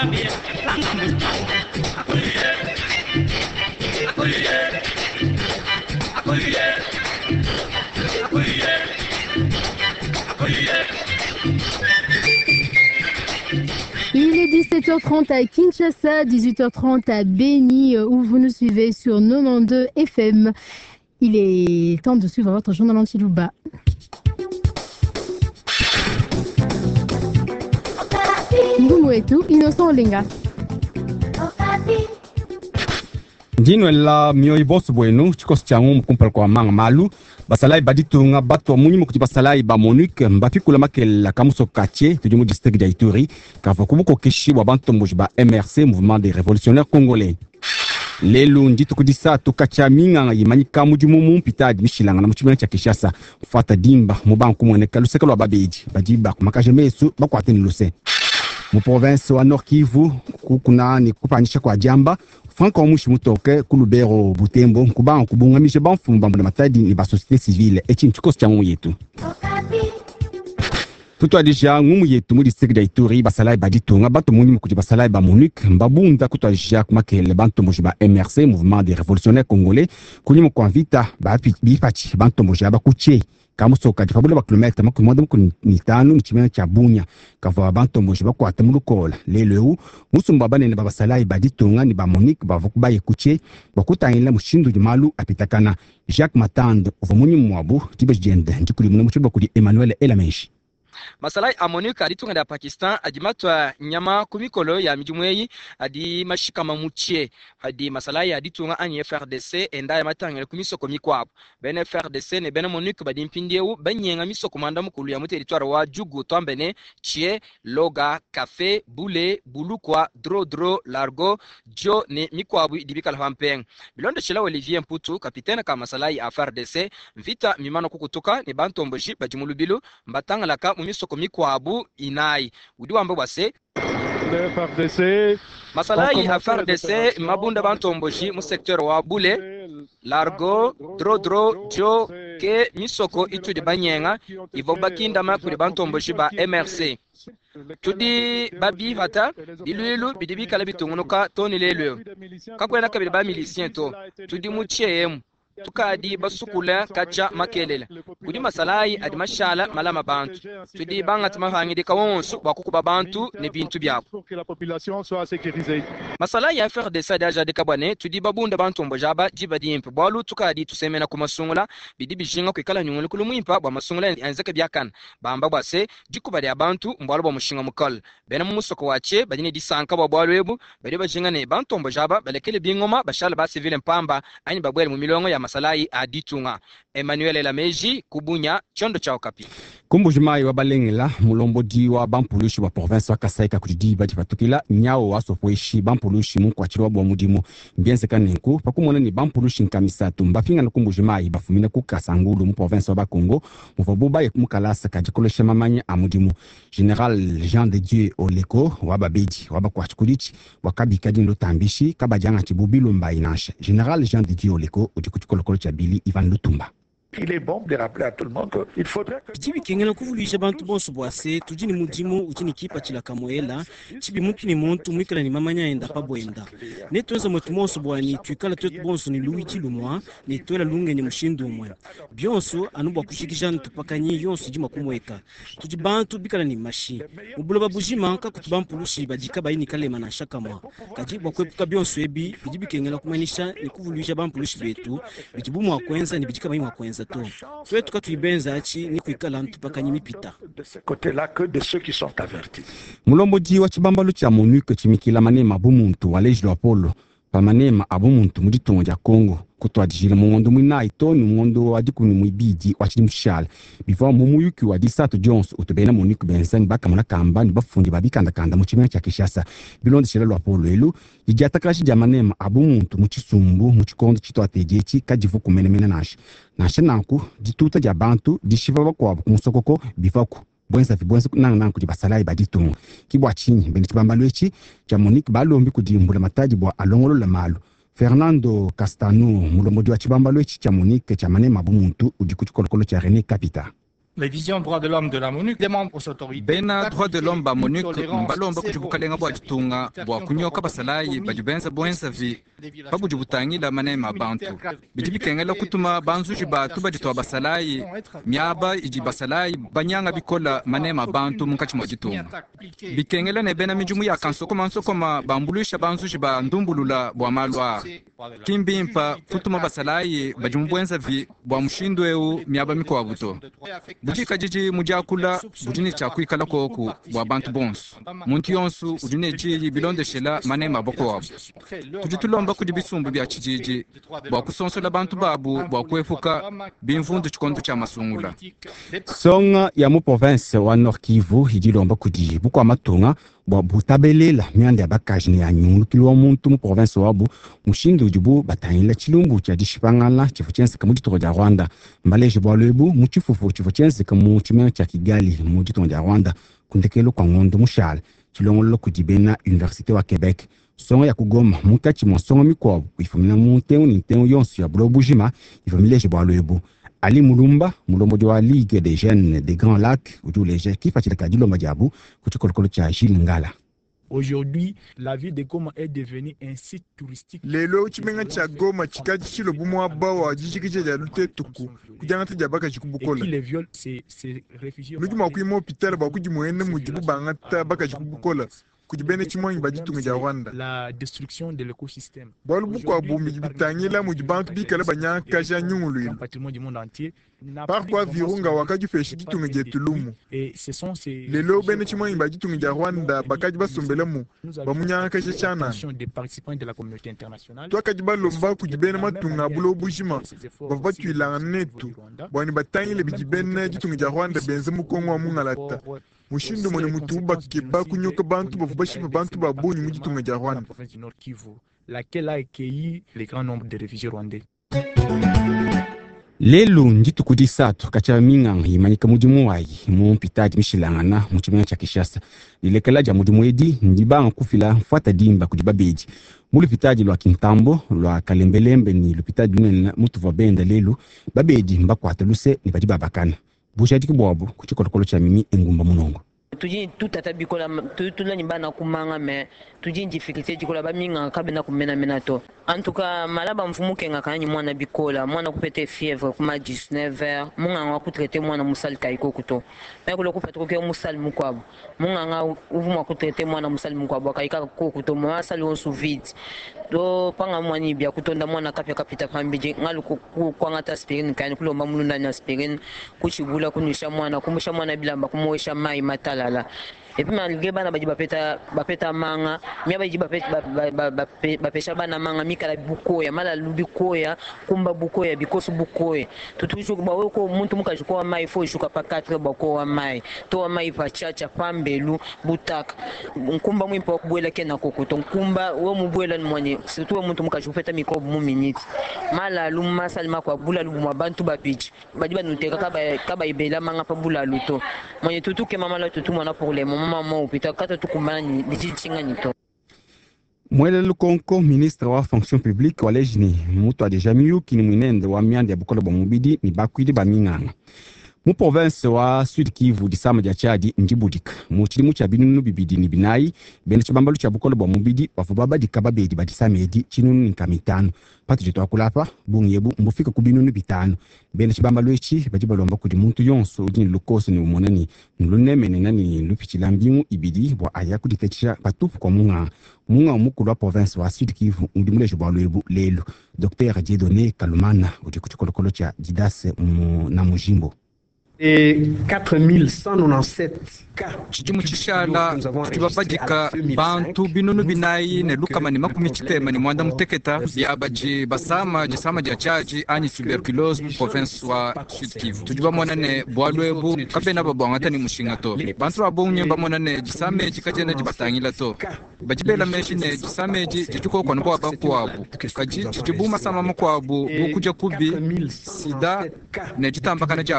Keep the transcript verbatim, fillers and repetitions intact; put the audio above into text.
Il est dix-sept heures trente à Kinshasa, dix-huit heures trente à Beni, où vous nous suivez sur quatre-vingt-douze F M. Il est temps de suivre votre journal en tshiluba. Ngumu etu, Innocent Olenga. Ndinwela mioyo bosu bwenu chikosi cha ngumu kumpala kwa manga malu basalai baditunga bato munyi kuti basalai ba MONUC mbapikula makela kamuso kache tudi mu district ya Ituri kava kubukokeshi bwa bantomboji ba M R C Mouvement des Révolutionnaires Congolais. Lelu ndituku disatu kacha minganga yimanyika mudimu mu mpitadi mishilanga na mu tshimena tshia Kinshasa mfata dimba mu banku mwene luseke lwa babedi badi bakumakaje mesu bakwate ni luse. Mu province wa Nord Kivu kukuna ni kupanyisha kwa jamba Frank Omushi mutoke ku Lubero Butembo kubanga kubungamisha bamfumu bambu na matadi ni ba société civile echi nchikosi cha ngumu yetu. Tutwadija ngumu yetu mu district ya Ituri basalai baditunga bato munyi mukuti basalai ba MONUC mbabunda kutwadija kumakele bantomboji ba M R C Mouvement des Révolutionnaires Congolais kunyuma kwa vita ba bipachi bantomboji aba kuche kamusoka dipabula ba kilomètre makumi mwanda mukuni mitano mu tshimena tshia Bunia kavua bantomboji bakwata mu lukola lelo eu musumba banene ba basalai baditunga ni ba MONUC bavua kubaye kuche bakutangila mushindu di malu apitakana Jacques Matande uvua munyi mwabu dibe diende ndikulimuna mu tshiluba kudi Emmanuel Elameji. Masalai a MONUC aditunga da Pakistan adi matwa nyama ku mikolo ya midimu eyi adi mashikama mutie adi masalai aditunga anyi F R D C enda ya matangele ku misoko mikwabo bene F R D C ne bene MONUC badi mpindieu banyenga misoko manda mukulu ya mu territoire wa Djugu twambene Tchie Loga Café Bule Bulukwa Drodro Largo Dio ne mikwabo idibikala pampeng bilonde shila Olivier Mputu capitaine ka masalai a F R D C mvita mimano kukutuka ne bantomboji badi mu lubilu mbatangalaka mu misoko mikwabu inayi udi wamba bwase Le F R D C masalai a F R D C mabunda bantomboji mu secteur wa Bule Largo Drodro Dio ke misoko itudi banyenga ivo bakindama kuli bantomboji ba M R C tudi babivata biluilu bidi bikala bitungunuka toni lelu kakwena kabili ba milicien to tudi mu tshemu tukadi basukula kacha makelele kudi masalai adi mashala malama bantu tudi bangati mahangidika wonso bwa kukuba bantu ne bintu byabo masalai ya F R D C adi ajadika bwane tudi babunda bantu mbojaba diba dimpe bwalu tukadi tusemena ku masungula bidi bijinga kwikala nyungulu kulu mwimpa bwa masungula enzeke byakana bamba bwase dikuba lya bantu mbwalu bwa mushinga mukol bena mu musoko wache badine disanka bwa bwalu ebu badi bajinga ne bantu mbojaba balekele bingoma bashala ba civile mpamba anyi babwele mu milongo ya masalai aditunga Emmanuel Elameji kubunya chondo cha Okapi. Kumbujimai wa balengela mulombodi wa bampulushi wa province wa Kasai ka kudi badi patukila nyao wa sopweshi bampulushi mu kwachirwa bwa mudimu mbienze kanenku pakumona ni bampulushi nkamisatu mbapinga na kumbujimai bafumina ku Kasangulu mu province wa Bakongo muvabu baye mukalasa kajikolesha mamanya a mudimu General Jean de Dieu Oleko wa babedi wa bakwachikulichi wakabika dindo tambishi kabajanga chibubilo mbainasha General Jean de Dieu Oleko udikuchikolokolo cha Bili Ivan Lutumba. Il est bon de rappeler à tout le monde que il faudrait que Bibi kengela kuvulisha bantu bonso bwase tudi ni mudimu udi ni kipa chila kamoela chibi muntu ni muntu mwikala ni mamanya enda pa bwenda ne tuenza mwetu monso bwani tuikala twetu bonso ni luichi lumwa ne twela lunge ni mushindu umwe byonso anu bwa kushikisha ntupakanyi yonso jima kumweka tudi bantu bikala ni mashi mubuloba bujima ka kutuba mpulushi badika bayini kalema na shakamwa kadi bwa kwepuka byonso ebi bidi bikengela kumanisha ni kuvulisha bampulushi betu bidibu mwa kwenza ni bidika bayini mwa kwenza to twetu katuibenza achi ni kuikala ntupakanye mipita de ce côté-là que de ceux qui sont avertis. Mulombodi wa chibambalo cha MONUC chimikila manema bumuntu wa leji lwa polo pa manema abumuntu mu ditunga dia Congo kutwadijila mungondo mwinayi to ni mungondo wa dikumi mwibidi wa chidi mushala bivua mu muyuki wa disatu Jones utubena MONUC benza ni bakamona kamba ni bafundi ba bikandakanda mu tshimena tshia Kinshasa bilondeshela lwa polo elu didiatakalashi dia manema abumuntu mu tshisumbu mu tshikondo tshituatedietshi kadivu kumenemene nansha nansha nanku dituta dia bantu dishiva bakuabu ku musokoko bivaku bwenza vibwenza nanga nanku di basalai baditunga kibwa chinyi bene tshibambalo etshi tshia MONUC balombi kudimbula matadi bwa alongolola malu Fernando Castano mulombodi wa tshibambalo etshi tshia MONUC tshia manema bumuntu udi ku tshikolokolo tshia René Capita. Les visions droits de l'homme de la MONUC demandent aux autorités Bena droit de l'homme ba MONUC mbalomba kudi bukalenga bua ditunga bua kunyoka basalayi badi benza bwenzavi pabudi butangila manema bantu. Bidi bikengela kutuma banzuji batu badi tua basalayi miaba idi basalayi banyanga bikola manema bantu munkatshi mua ditunga. Bikengela ne bena midimu ya kansokoma nsokoma bambuluisha banzuji ba ndumbulula bua malu aa. Kimbimpa kutuma basalayi badi mu bwenzavi bua mushindu eu miaba mikuabu to. Budikadidi mudiakula budi ne tshia kuikala koku bua bantu bonso. Muntu yonso udi ne diyi bilondeshela manema bakuabu. Tudi tulomba kudi bisumbu bia tshididi bua kusonsola bantu babu bua kuepuka bimvundu tshikondo tshia masungula. Songa ya mu province wa Nord Kivu idi ilomba kudi bukua matunga bua butabelela mianda ya bakaji ne ya nyungulukilu wa muntu mu province wabu mushindu udibu batangila tshilumbu tshia dishipangana tshivua tshienzeka mu ditunga dia Rwanda. Mbaleje bualu ebu mu tshifufu tshivua tshienzeka mu tshimenga tshia Kigali mu ditunga dia Rwanda ku ndekelu kua ngondo mushale tshilongololo kudi bena université wa Quebec. Songa ya kugoma munkatshi mua songa mikuabu ifumina mu ntengu ne ntengu yonso ya buloba bujima ivua mileje bualu ebu. Ali Mulumba, mulombodi wa Ligue des Jeunes des Grands Lacs, udi uleja kipatshila ka dilomba diabu ku tshikolokolo tshia Gilles Ngala. Aujourd'hui, la ville de Goma est devenue un site touristique. Lelo tshimenga tshia Goma tshikadi tshilobu muaba wa dijikija dia lutetuku kudiangata dia bakaji ku bukola. Nudi mua kuima hôpital bua kudimuena mudibu bangata bakaji ku bukola kudi bena tshimuangi ba ditunga dia Rwanda. La destruction de l'écosystème. Bualu bukuabu bidi bitangila mudi bantu bikale banyangakaja nyunguluilu. Parc wa Virunga wakadipesha ditunga dietu lumu. Lelo bena tshimuangi ba ditunga dia Rwanda bakadi basombelamu bamunyangakaja tshianana. Tuakadi balomba kudi bena matunga a buloba bujima bavua batuilangana netu bua ne batangile bidi bena ditunga dia Rwanda benza mu Kongo wa mungalata. Mushindu mune mutubu bakeba kunyoka bantu bavua bashipa bantu ba bungi mu ditunga dia Rwanda. Laquelle a accueilli le grand nombre de réfugiés rwandais. Lelu ndituku disatu katshia minganga imanyika mudimu wayi mu mpitadi mishilangana mu tshimenga tshia Kinshasa. Dilekela dia mudimu edi ndibanga kufila mfuata dimba kudi babedi mu lupitadi lua Kintambo lua Kalembelembe ni lupitadi lunene mutuvua benda lelu babedi mbakuata luse ne badi babakana bujadiki buabu ku tshikolokolo tshia mimi engumba munongo. Tudi tutata bikola tutulani bana kumanga me tudi difficulté dikola baminga kabena kumenamena to. En tout cas malaba mfumu kenga kanyi mwana bikola mwana kupete fièvre kuma dix-neuf heures munganga kutraiter mwana musali kaiko kuto me kulo kupete ko musali mukwabo munganga uvuma kutraiter mwana musali mukwabo kaika ko kuto mwana sali onsu vide do panga mwani bia kutonda mwana kapya kapita pambije ngalu kwangata aspirine kani kulomba mulunda na aspirine kuchibula kunisha mwana kumusha mwana bilamba kumwesha mai matala. Et puis malgré bana badi bapeta bapeta manga mia badi bapeta bapesha bana manga mikala bukoya mala lubikoya kumba bukoya bikosu bukoya tutuju ba weko muntu mukaji kwa mai fo shuka pa quatre ba ko mai to mai pa chacha pambelu butaka nkumba mwimpa kubwela kena kokoto nkumba we mubwela mwanye surtout muntu mukaji kupeta microbe mu minute mala lumma salma kwa bula lubuma bantu bapiji badi banuteka kaba kaba ibela manga pa bula luto mwanye tutuke mama la tutu mwana pour les moments mama upita kata tukumbana ni ni to. Mwele Lukonko, ministre wa fonction publique wa lejini mutu adeja miyuki ni mwinende wa mianda ya bukola bwa mubidi ni bakwidi ba minganga mu province wa Sud Kivu disama dia Chadi ndibudika mu tshidimu tshia binunu bibidi ni binayi bena tshibambalu tshia bukola bwa mubidi bavua babadika babedi ba disama edi tshinunu ni nkama itanu patudi tuakulapa bungi ebu mbufika ku binunu bitanu bena tshibambalu etshi badi balomba kudi muntu yonso udi ne lukoso ne umona ni lunemenena ni lupitshila mbingu ibidi bua aya kuditetisha patupu kua munganga munganga mukulu wa province wa Sud Kivu udi muleje bualu ebu lelu Docteur Dieudonné Kalumana udi ku tshikolokolo tshia Didas na Mujimbo. Et quatre mille cent quatre-vingt-dix-sept cas Tshidimu tshishala tshibabadika bantu binunu binayi ne lukama ne makumi tshitema ne mwanda muteketa bia badi basama disama dia tshiadi anyi tuberculose mu province wa Sud Kivu. Tudi bamona ne bualu ebu kabena babwangata ne mushinga to. Bantu ba bungi bamona ne disama edi kadiena dibatangila to. Badi bela meji ne disama edi didi bua bakuabu kadi didi bu masama makuabu bu kudia kubi sida ne ditambakana dia